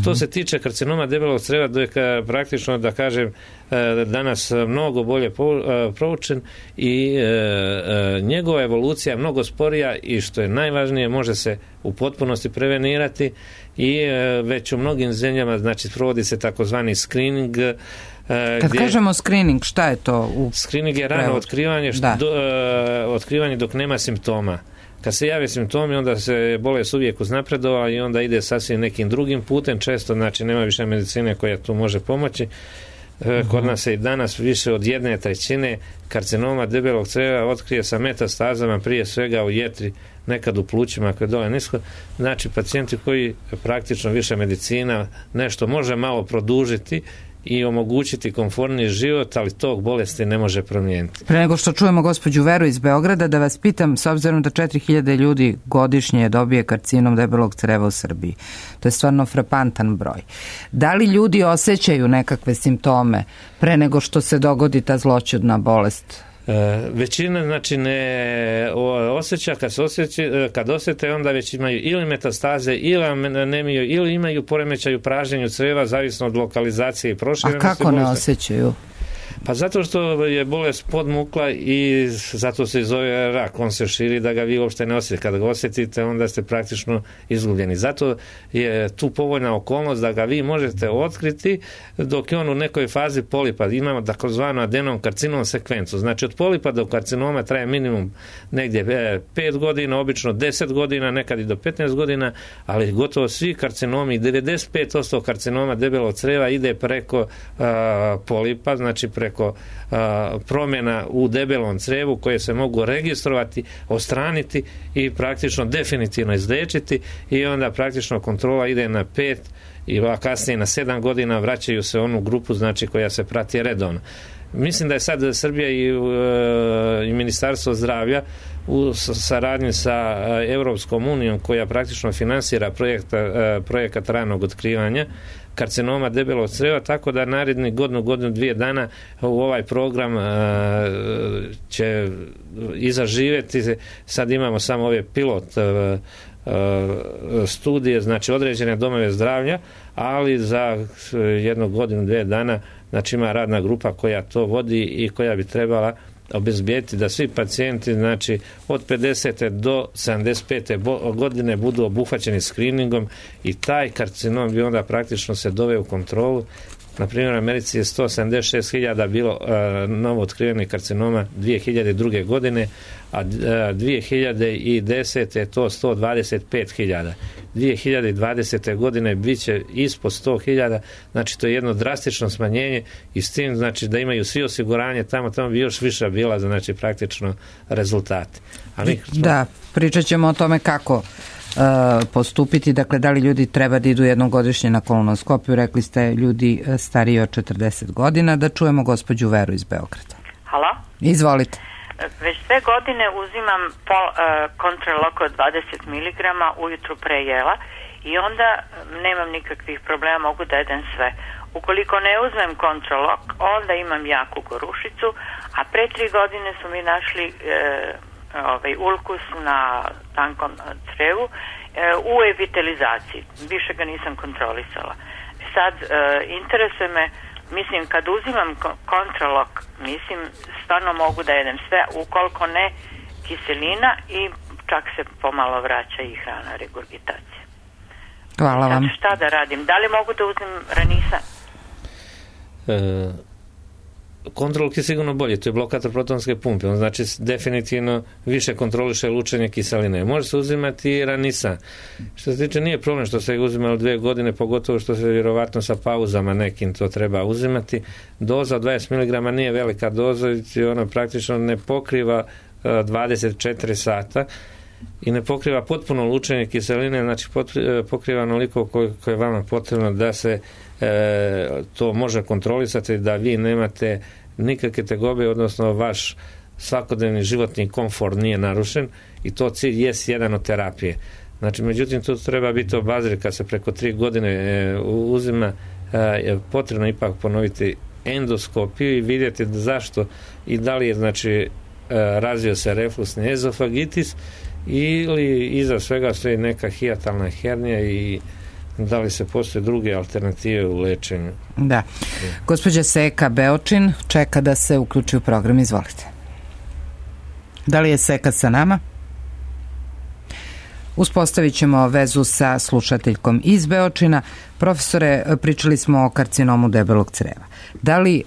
Što se tiče karcinoma debelog crijeva, praktično, da kažem, danas mnogo bolje proučen i njegova evolucija je mnogo sporija i što je najvažnije, može se u potpunosti prevenirati i već u mnogim zemljama, znači, provodi se takozvani screening. Kad kažemo screening, šta je to? Screening je rano otkrivanje, otkrivanje dok nema simptoma. Kad se jave simptomi, onda se bolest uvijek uznapredova i onda ide sasvim nekim drugim putem, često, znači, nema više medicine koja tu može pomoći. Kod nas se i danas više od 1/3 karcinoma debelog crijeva otkrije sa metastazama, prije svega u jetri, nekad u plućima koje je dole nisko. Znači, pacijenti koji praktično više medicina nešto može malo produžiti i omogućiti komforniji život, ali tog bolesti ne može promijeniti. Pre nego što čujemo gospođu Veru iz Beograda, da vas pitam, s obzirom da 4000 ljudi godišnje dobije karcinom debelog creva u Srbiji, to je stvarno frapantan broj. Da li ljudi osjećaju nekakve simptome pre nego što se dogodi ta zloćudna bolest? Većina, znači, ne osjeća, kad osjete, onda već imaju ili metastaze, ili anemiju, ili imaju poremećaj u pražnjenju crijeva, zavisno od lokalizacije i proširenosti. A kako ne osjećaju? Pa zato što je bolest podmukla i zato se zove rak, on se širi da ga vi uopšte ne osjetite. Kada ga osjetite, onda ste praktično izgubljeni. Zato je tu povoljna okolnost da ga vi možete otkriti dok je on u nekoj fazi polipa. Imamo takozvanu adenom karcinom sekvencu. Znači, od polipa do karcinoma traje minimum negdje 5 godina, obično 10 godina, nekad i do 15 godina, ali gotovo svi karcinomi, 95% karcinoma debelog crijeva ide preko polipa, znači preko promjena u debelom crijevu koje se mogu registrovati, odstraniti i praktično definitivno izliječiti i onda praktično kontrola ide na 5 i kasnije na 7 godina vraćaju se u onu grupu, znači, koja se prati redovno. Mislim da je sad Srbija i Ministarstvo zdravlja u saradnji sa Europskom unijom, koja praktično finansira projekat ranog otkrivanja karcinoma debelog crijeva, tako da naredni godinu, 2 dana u ovaj program će i zaživjeti. Sad imamo samo ove pilot studije, znači određene domove zdravlja, ali za 1 godinu, 2 dana, znači, ima radna grupa koja to vodi i koja bi trebala obezbijeti da svi pacijenti, znači, od 50. do 75. godine budu obuhvaćeni screeningom i taj karcinom bi onda praktično se doveo u kontrolu. Na primjer, u Americi je 176.000 bilo novo otkrivenih karcinoma 2002. godine, a 2010. je to 125.000. 2020. godine bit će ispod 100.000, znači to je jedno drastično smanjenje i s tim, znači, da imaju svi osiguranje tamo bi još više bila, znači, praktično rezultati. Da, pričat ćemo o tome kako postupiti, dakle, da li ljudi treba da idu jednogodišnje na kolonoskopiju, rekli ste ljudi stariji od 40 godina. Da čujemo gospođu Veru iz Beograda. Halo? Izvolite. Već 2 godine uzimam kontraloko 20 mg ujutru pre jela i onda nemam nikakvih problema, mogu da jedem sve. Ukoliko ne uzmem Controlok, onda imam jaku gorušicu, a pre 3 godine su mi našli ulkus na tankom crevu u evitalizaciji. Više ga nisam kontrolisala. Sad, interesuje me, mislim, kad uzimam Controlok, mislim, stvarno mogu da jedem sve, ukoliko ne kiselina i čak se pomalo vraća i hrana, regurgitacija. Hvala vam. Sad šta da radim? Da li mogu da uzmem Ranisan? Kontrolok je sigurno bolji, to je blokator protonske pumpe, on znači definitivno više kontroliše lučenje kiseline. Može se uzimati i Ranisan. Što se tiče, nije problem što se uzimalo 2 godine, pogotovo što se vjerovatno sa pauzama nekim to treba uzimati. Doza od 20 mg nije velika doza i ona praktično ne pokriva 24 sata i ne pokriva potpuno lučenje kiseline, znači pokriva onoliko koje je vama potrebno da se to može kontrolisati, da vi nemate nikakve tegobe, odnosno vaš svakodnevni životni komfort nije narušen i to cilj jest jedan od terapije. Znači, međutim, tu treba biti obazriv kad se preko 3 godine uzima, potrebno ipak ponoviti endoskopiju i vidjeti zašto i da li je, znači, razvio se refluksni ezofagitis ili iza svega stoji neka hijatalna hernija i da li se postoje druge alternative u lečenju. Da. Gospođa Seka Beočin čeka da se uključi u program. Izvolite. Da li je Seka sa nama? Uspostavit ćemo vezu sa slušateljkom iz Beočina. Profesore, pričali smo o karcinomu debelog creva. Da li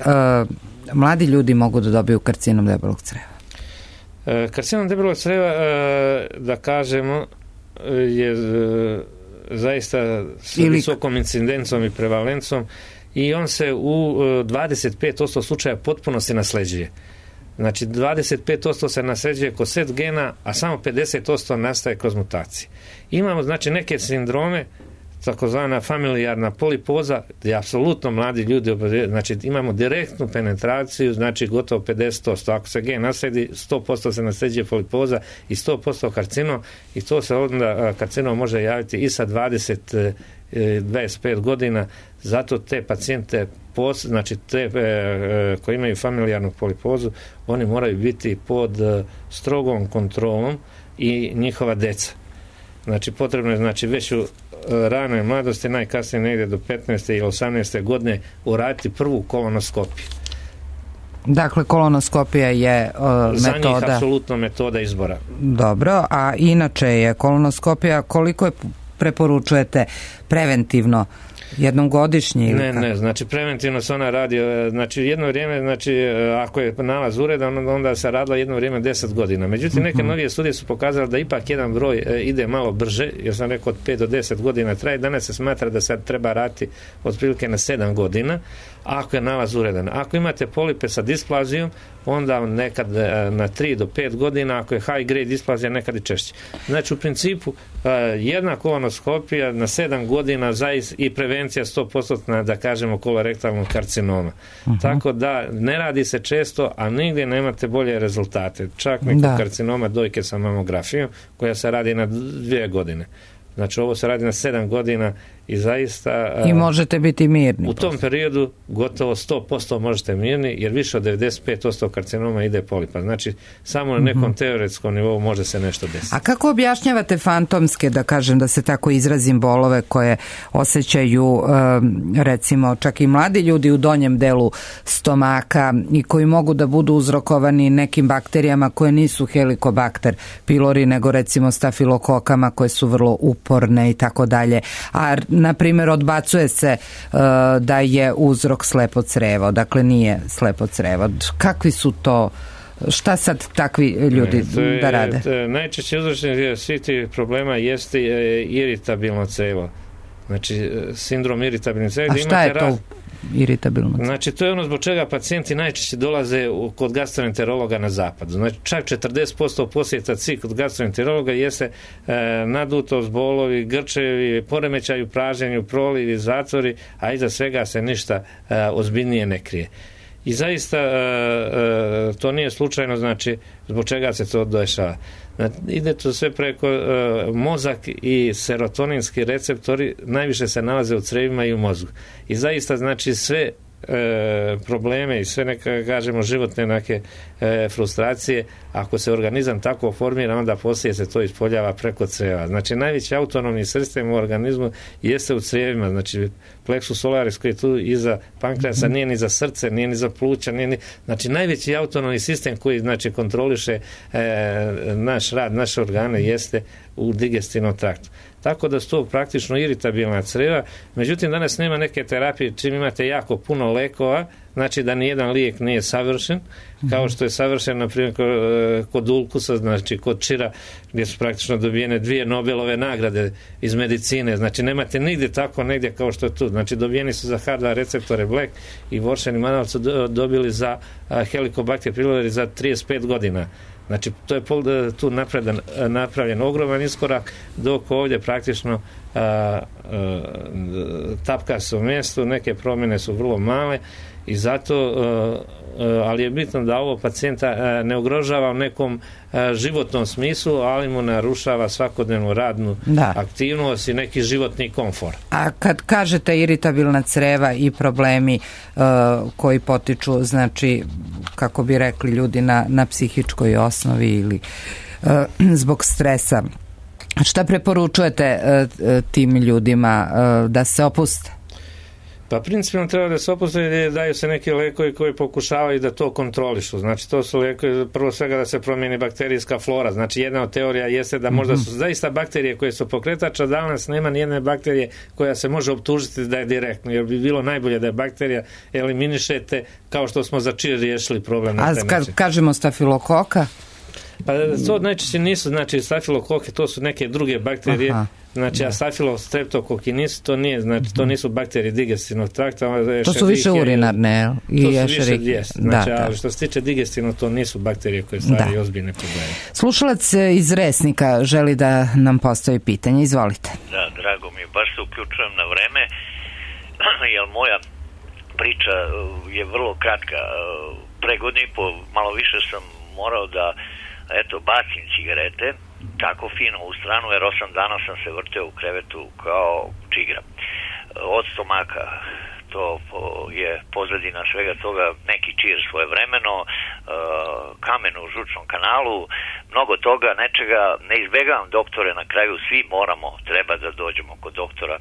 mladi ljudi mogu da dobiju karcinom debelog creva? Karcinom debelog creva, da kažemo, je zaista s visokom incidencom i prevalencom i on se u 25% slučaja potpuno se nasleđuje. Znači 25% se nasleđuje kod set gena, a samo 50% nastaje kroz mutacije. Imamo, znači, neke sindrome, takozvana familijarna polipoza, gdje apsolutno mladi ljudi, znači imamo direktnu penetraciju, znači gotovo 50%. Ako se gen nasledi, 100% se nasljeđuje polipoza i 100% karcinom, i to se onda karcinom može javiti i sa 20-25 godina. Zato te pacijente, znači te koji imaju familijarnu polipozu, oni moraju biti pod strogom kontrolom i njihova deca. Znači potrebno je, znači, već u ranoj mladosti, najkasnije negdje do 15. ili 18. godine, uraditi prvu kolonoskopiju. Dakle, kolonoskopija je metoda... Za njih apsolutno metoda izbora. Dobro, a inače je kolonoskopija, koliko je preporučujete preventivno? Jednom godišnje? Ne, znači preventivno se ona radi, znači jedno vrijeme, znači ako je nalaz uredan, onda se radila jedno vrijeme 10 godina. Međutim, neke novije studije su pokazale da ipak jedan broj ide malo brže, jer sam rekao od 5 do 10 godina traje. Danas se smatra da se treba raditi otprilike na 7 godina, ako je nalaz uredan. Ako imate polipe sa displazijom, onda nekad na 3 do 5 godina, ako je high grade displazija, nekad i češće. Znači, u principu, jedna kolonoskopija na 7 godina i prevencija 100%, da kažemo, kolorektalnog karcinoma. Tako da ne radi se često, a nigdje nemate bolje rezultate. Čak neko karcinoma dojke sa mamografijom, koja se radi na 2 godine. Znači, ovo se radi na 7 godina i zaista... I možete biti mirni. U tom periodu gotovo 100% možete mirni, jer više od 95% karcinoma ide polipa. Znači, samo na nekom teoretskom nivou može se nešto desiti. A kako objašnjavate fantomske, da kažem, da se tako izrazim, bolove koje osjećaju, recimo, čak i mladi ljudi u donjem delu stomaka i koji mogu da budu uzrokovani nekim bakterijama koje nisu helikobakter pylori, nego recimo stafilokokama koje su vrlo uporne i tako dalje. A na primjer, odbacuje se da je uzrok slepo crevo, dakle nije slepo crevo. Kakvi su to, šta sad takvi ljudi da rade? Najčešće uzročnik svih tih problema jeste iritabilno crevo. Znači, sindrom iritabilnog creva. A šta je to iritabilno crevo? Znači, to je ono zbog čega pacijenti najčešće dolaze kod gastroenterologa na zapadu. Znači, čak 40% posjeta kod gastroenterologa jeste nadutost, bolovi, grčevi, poremećaj u praženju, prolivi, zatvori, a iza svega se ništa ozbiljnije ne krije. I zaista to nije slučajno, znači zbog čega se to dešava. Ide to sve preko mozak i serotoninski receptori najviše se nalaze u crevima i u mozgu. I zaista znači sve probleme i sve neka kažemo životne neke frustracije, ako se organizam tako formira, onda poslije se to ispoljava preko creva. Znači najveći autonomni sistem u organizmu jeste u crevima, znači plexus solaris koji je tu iza pankreasa, nije ni za srce, nije ni za pluća, znači najveći autonomni sistem koji znači kontroliše naš rad, naše organe jeste u digestivnom traktu. Tako da su to praktično iritabilna creva, međutim danas nema neke terapije čim imate jako puno lekova, znači da nijedan lijek nije savršen, kao što je savršen na primjer kod ulkusa, znači kod čira gdje su praktično dobijene 2 Nobelove nagrade iz medicine, znači nemate nigdje tako negdje kao što je tu, znači dobijeni su za H2 receptore Black i Worsen i Manal su dobili za Helicobacter pylori za 35 godina. Znači, to je tu napravljen ogroman iskorak, dok ovdje praktično tapka se u mjestu, neke promjene su vrlo male i zato, ali je bitno da ovo pacijenta ne ugrožava u nekom životnom smislu, ali mu narušava svakodnevnu radnu aktivnost i neki životni komfor. A kad kažete iritabilna creva i problemi koji potiču, znači, kako bi rekli ljudi, na psihičkoj osnovi ili zbog stresa, šta preporučujete tim ljudima da se opuste? Pa principno treba da se opuste, daju se neki lekovi koji pokušavaju da to kontrolišu. Znači to su lekovi, prvo svega da se promijeni bakterijska flora. Znači jedna od teorija jeste da možda su zaista bakterije koje su pokretač, a danas nema nijedne bakterije koja se može optužiti da je direktno, jer bi bilo najbolje da je bakterija eliminišete, kao što smo za čir riješili problem. A kažemo stafilokoka? Pa to najčešće nisu, znači stafilokoke, to su neke druge bakterije. Znači, a stafilokokki nisu, to nije, znači, to nisu bakterije digestivnog trakta. To su više urinarne i Escherichia. Znači, ali što se tiče digestivnog, to nisu bakterije koje stvaraju ozbiljne probleme. Slušalac iz Resnika želi da nam postavi pitanje. Izvolite. Da, drago mi je, baš se uključujem na vreme, jer moja priča je vrlo kratka. Pre godinu i po, malo više sam morao da bacim cigarete, tako fino u stranu, jer 8 dana sam se vrteo u krevetu kao čigra. Od stomaka, to je pozadina svega toga, neki čir svojevremeno, kamen u žučnom kanalu, mnogo toga, nečega, ne izbegavam doktore, na kraju svi treba da dođemo kod doktora,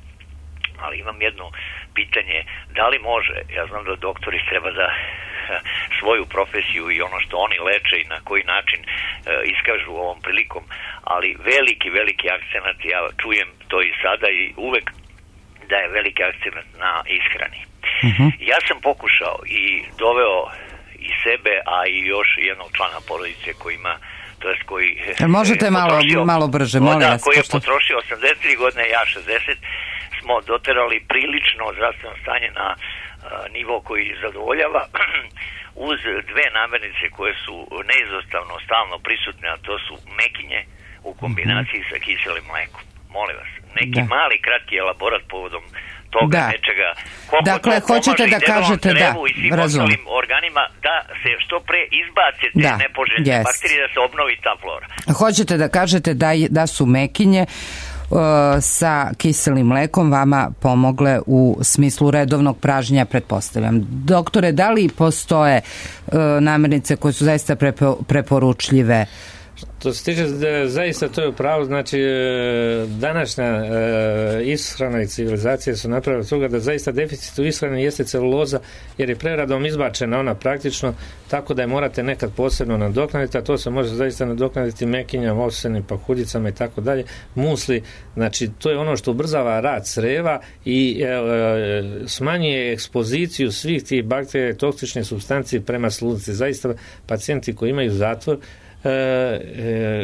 ali imam jedno pitanje, da li može, ja znam da doktori treba da svoju profesiju i ono što oni leče i na koji način iskažu ovom prilikom, ali veliki akcenat, ja čujem to i sada i uvek da je veliki akcenat na ishrani. Ja sam pokušao i doveo i sebe, a i još jednog člana porodice koji ima, to jest koji možete malo brže, molim vas, koji je potrošio 83 godine, ja 60, smo doterali prilično zdravstveno stanje na nivo koji zadovoljava uz 2 namirnice koje su neizostavno stalno prisutne, a to su mekinje u kombinaciji sa kiselim mlekom. Molim vas, neki mali kratki elaborat povodom toga nečega, koliko dakle, to hoćete pomaže da kažete crevu i svim ostalim organima da se što pre izbace te nepoželjne bakterije, da se obnovi ta flora. Hoćete da kažete da su mekinje sa kiselim mlekom vama pomogle u smislu redovnog pražnja, pretpostavljam. Doktore, da li postoje namirnice koje su zaista preporučljive? To se tiče, zaista to je upravo, znači današnja ishrana i civilizacija su napravili toga da zaista deficit u ishrani jeste celuloza, jer je preradom izbačena ona praktično, tako da je morate nekad posebno nadoknaditi, a to se može zaista nadoknaditi mekinjama, ovsenim pahuljicama i tako dalje, musli, znači to je ono što ubrzava rad creva i smanjuje ekspoziciju svih tih bakterija i toksičnih supstanci prema slunci. Zaista pacijenti koji imaju zatvor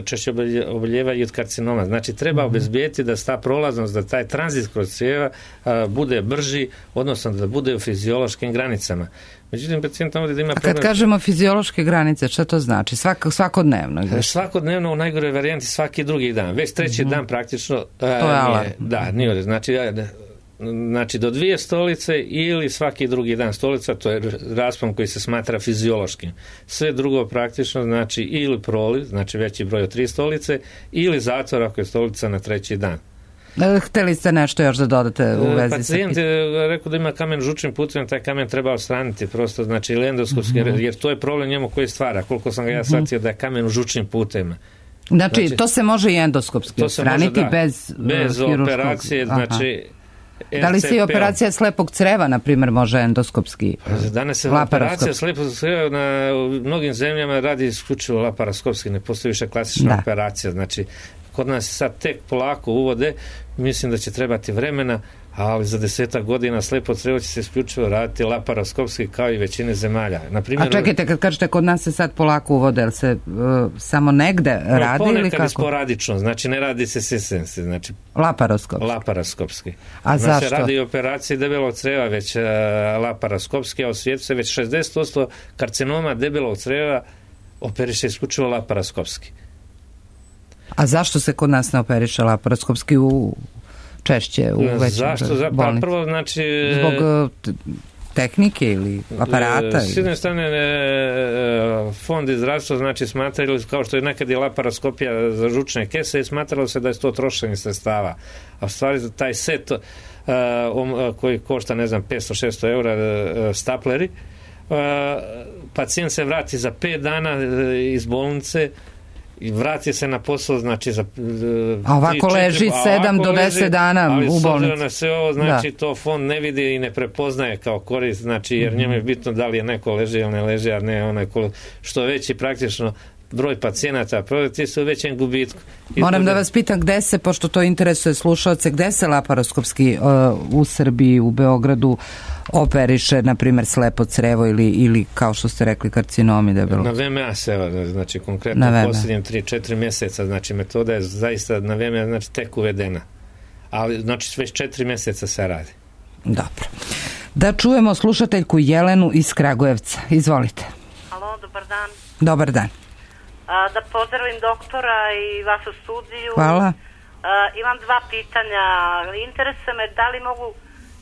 češće oboljevaju od karcinoma. Znači treba obezbijeti da ta prolaznost, da taj tranzit kroz crijeva bude brži, odnosno da bude u fiziološkim granicama. Međutim, pacijent ovdje da ima problem... A kad kažemo fiziološke granice, šta to znači? Svakodnevno? Svakodnevno, u najgore varijanti svaki drugi dan. Već treći dan praktično to je alarm. Nije, znači znači do 2 stolice ili svaki drugi dan stolica, to je raspon koji se smatra fiziološkim. Sve drugo praktično znači ili proliv, znači veći broj od 3 stolice, ili zatvor ako je stolica na 3. dan. Hteli ste nešto još da dodate u vezi? Pacijent je rekao da ima kamen žučnim putem, taj kamen treba odstraniti prosto, znači ili endoskopski, jer to je problem njemu koji stvara, koliko sam ga ja shvatio da je kamen u žučnim putem. Znači, to se može i endoskopski odstraniti bez operacije, znači da li se i operacija slepog creva, na primjer, može endoskopski? Danas se operacija slepog creva u mnogim zemljama radi isključivo laparoskopski, ne postoji više klasična operacija, znači kod nas sad tek polako uvode, mislim da će trebati vremena, ali za 10 godina slepo crevo će se isključivo raditi laparoskopski kao i većine zemalja. A čekajte, kad kažete kod nas se sad polako uvode, ali se samo negde radi ili kako? Ponekad je sporadično, znači ne radi se sistemski, znači laparoskopski. A zašto? Se radi operacije debelog creva već laparoskopski, a u svijetu se već 60% karcinoma debelog creva operiše isključivo laparoskopski. A zašto se kod nas ne operiše laparoskopski češće u većim bolnicama? Prvo, znači... Zbog tehnike ili aparata? S jedne strane fond i zdravstvo znači smatrali, kao što je nekad je laparoskopija za žučne kese, i smatralo se da je to trošenje sredstava. A u stvari taj set koji košta, ne znam, 500-600 eura stapleri, pacijent se vrati za 5 dana iz bolnice i vrati se na posao, znači za a ovako leži 7 do 10 dana u bolnici. Ali na sve ovo, znači to fond ne vidi i ne prepoznaje kao korist, znači jer njemu je bitno da li je neko leži ili ne leži, a ne onaj što veći praktično broj pacijenata, ti su u većem gubitku. Moram da vas pitam gde se, pošto to interesuje slušalce, gde se laparoskopski u Srbiji, u Beogradu operiše, na primjer, slepo crevo ili kao što ste rekli, karcinomi debelog? Na VMA se, znači konkretno u posljednjim 3-4 mjeseca, znači metoda je zaista na VMA, znači tek uvedena. Ali, znači, već 4 mjeseca se radi. Dobro. Da čujemo slušateljku Jelenu iz Kragujevca. Izvolite. Alo, dobar dan. Dobar dan. Da pozdravim doktora i vas u studiju. Hvala. Imam 2 pitanja. Interese me da li mogu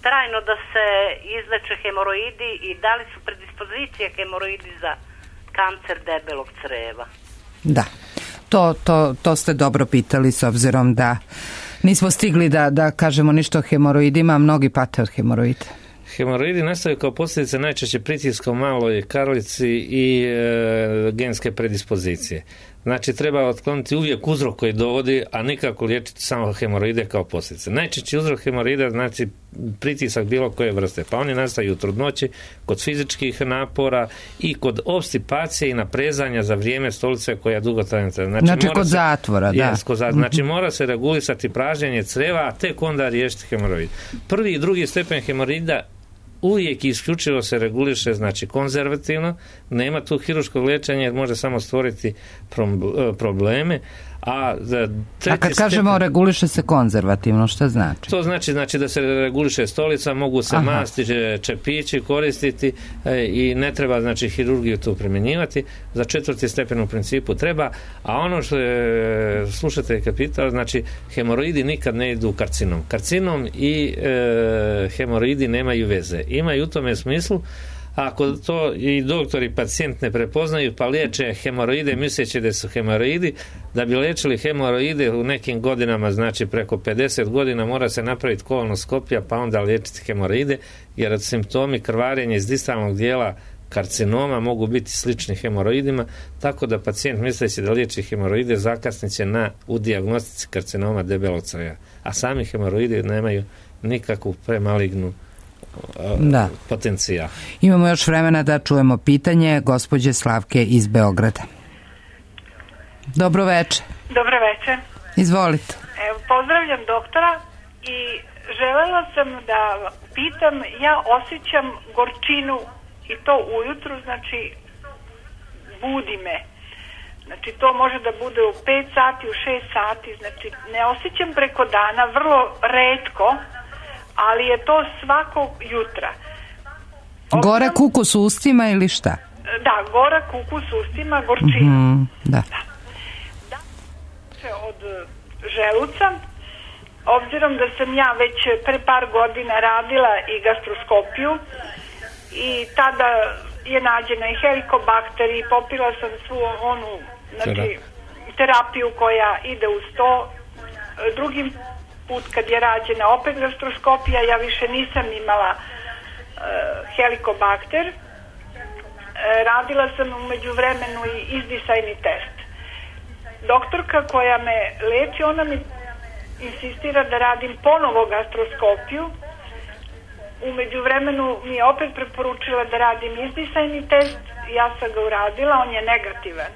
trajno da se izleče hemoroidi i da li su predispozicije hemoroidi za kancer debelog creva? Da, to ste dobro pitali, s obzirom da nismo stigli da kažemo ništa o hemoroidima, mnogi pate od hemoroida. Hemoroidi nastaju kao posljedice najčešće pritiska u maloj karlici i genske predispozicije. Znači, treba otkloniti uvijek uzrok koji dovodi, a nikako liječiti samo hemoroide kao posljedice. Najčešći uzrok hemoroida znači pritisak bilo koje vrste, pa oni nastaju u trudnoći, kod fizičkih napora i kod obstipacije i naprezanja za vrijeme stolice koja dugo traje. Znači kod zatvora, da. Znači, mora se regulisati pražnjenje creva, a tek onda riješiti hemoroid. Prvi i drugi stepen hemoroida uvijek isključivo se reguliše, znači konzervativno, nema tu hiruškog liječenja jer može samo stvoriti probleme. A kad kažemo reguliše se konzervativno, šta znači? To znači da se reguliše stolica, mogu se masti, čepići koristiti i ne treba znači hirurgiju tu primjenjivati. Za 4. stepen u principu treba, a ono što je slušatelj kapitala, znači hemoroidi nikad ne idu u karcinom. Karcinom i hemoroidi nemaju veze. Imaju u tome smislu ako to i doktor i pacijent ne prepoznaju pa liječe hemoroide misleći da su hemoroidi, da bi liječili hemoroide u nekim godinama, znači preko 50 godina mora se napraviti kolonoskopija pa onda liječiti hemoroide, jer simptomi krvarenja iz distalnog dijela karcinoma mogu biti slični hemoroidima, tako da pacijent misleći da liječi hemoroide zakasnit će u dijagnostici karcinoma debelog creva, a sami hemoroidi nemaju nikakvu premalignu potencijal. Imamo još vremena da čujemo pitanje gospođe Slavke iz Beograda. Dobro večer. Dobro večer. Izvolite. Pozdravljam doktora i želela sam da pitam, ja osjećam gorčinu i to ujutru, znači budi me. Znači to može da bude u 5 sati, u 6 sati, znači ne osjećam preko dana, vrlo retko, ali je to svakog jutra. Gore kukus u ustima ili šta? Da, gora kukus u ustima, gorčina. Da. Od želuca obzirom da sam ja već pre par godina radila i gastroskopiju i tada je nađena i helikobakter i popila sam svu onu terapiju koja ide uz to. Drugi put kad je rađena opet gastroskopija, ja više nisam imala helikobakter. Radila sam umeđu vremenu i izdisajni test. Doktorka koja me leči, ona mi insistira da radim ponovo gastroskopiju. Umeđu vremenu mi je opet preporučila da radim izdisajni test. Ja sam ga uradila, on je negativan.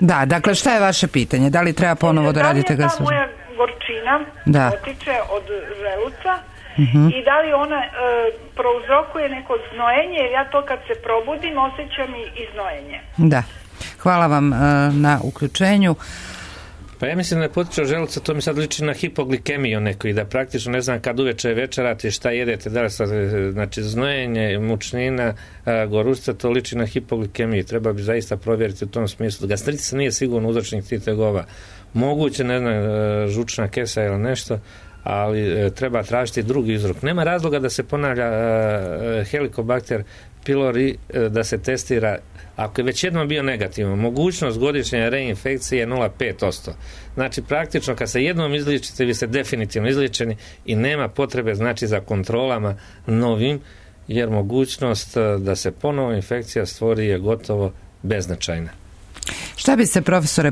Da, dakle, šta je vaše pitanje? Da li treba ponovo da radite gastroskopiju? Da li je ta moja gorčina potiče od želuca i da li ona prouzrokuje neko znojenje, jer ja to kad se probudim osjećam i znojenje. Da. Hvala vam na uključenju. Pa ja mislim da ne potiče od želuca, to mi sad liči na hipoglikemiju neko i da praktično ne znam kad uveče večerate šta jedete, da li sad, znači znojenje, mučnina, gorušca, to liči na hipoglikemiju. Treba bi zaista provjeriti u tom smislu. Gastritis nije sigurno uzročnik tih tegova. Moguće, ne znam, žučna kesa ili nešto, ali treba tražiti drugi uzrok. Nema razloga da se ponavlja helikobakter pylori, da se testira. Ako je već jednom bio negativan, mogućnost godišnje reinfekcije je 0,5%. Znači, praktično, kad se jednom izliječite, vi ste definitivno izliječeni i nema potrebe, znači, za kontrolama novim, jer mogućnost da se ponovo infekcija stvori je gotovo beznačajna. Šta bi se, profesore,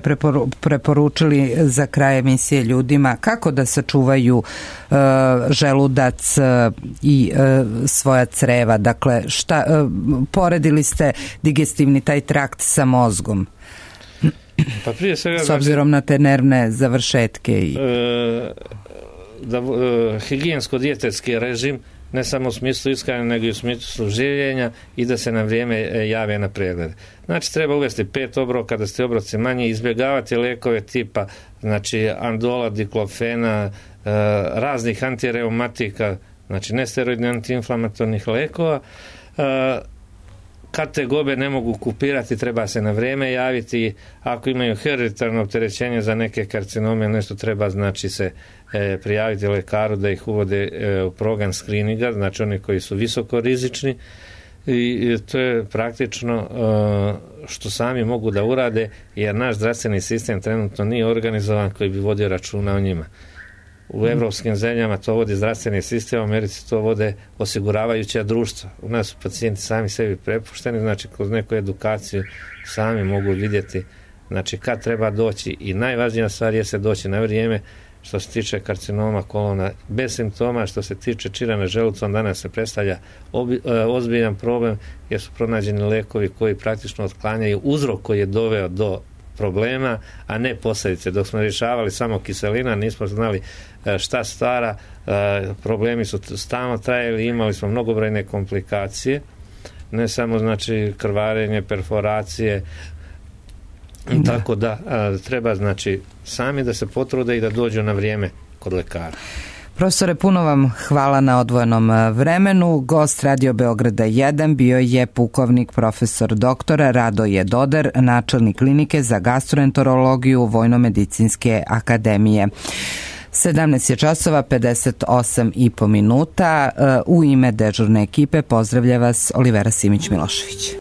preporučili za kraj emisije ljudima? Kako da sačuvaju želudac i svoja creva? Dakle, poredili ste digestivni taj trakt sa mozgom. Pa prije svega, s obzirom na te nervne završetke. Higijensko-dijetetski režim, ne samo u smislu ishrane, nego i u smislu življenja i da se na vrijeme jave na pregled. Znači, treba uvesti 5 obroka, da ste obroci manje, izbjegavati lijekove tipa, znači, andola, diklofena, raznih antireumatika, znači, nesteroidnih antiinflamatornih lijekova. Kad te gobe ne mogu kupirati, treba se na vrijeme javiti. Ako imaju hereditarno opterećenje za neke karcinome, nešto treba, znači, se prijaviti lekaru da ih uvode u program screeninga, znači oni koji su visoko rizični, i to je praktično što sami mogu da urade, jer naš zdravstveni sistem trenutno nije organizovan koji bi vodio računa o njima. U evropskim zemljama to vodi zdravstveni sistem, u Americi to vode osiguravajuća društva. U nas su pacijenti sami sebi prepušteni, znači kroz neku edukaciju sami mogu vidjeti, znači kad treba doći, i najvažnija stvar je se doći na vrijeme. Što se tiče karcinoma kolona bez simptoma, što se tiče čiranja želucom, danas se predstavlja ozbiljan problem, jer su pronađeni lekovi koji praktično otklanjaju uzrok koji je doveo do problema, a ne posljedice. Dok smo rješavali samo kiselina, nismo znali šta stvara, problemi su stalno trajali, imali smo mnogobrojne komplikacije, ne samo, znači, krvarenje, perforacije, tako da treba, znači, sami da se potrude i da dođu na vrijeme kod lekara. Profesore, puno vam hvala na odvojenom vremenu. Gost Radio Beograda 1 bio je pukovnik profesor doktora Radoje Dodar, načelnik klinike za gastroenterologiju Vojno-medicinske akademije. 17 je časova, 58,5 minuta. U ime dežurne ekipe pozdravlja vas Olivera Simić-Milošević.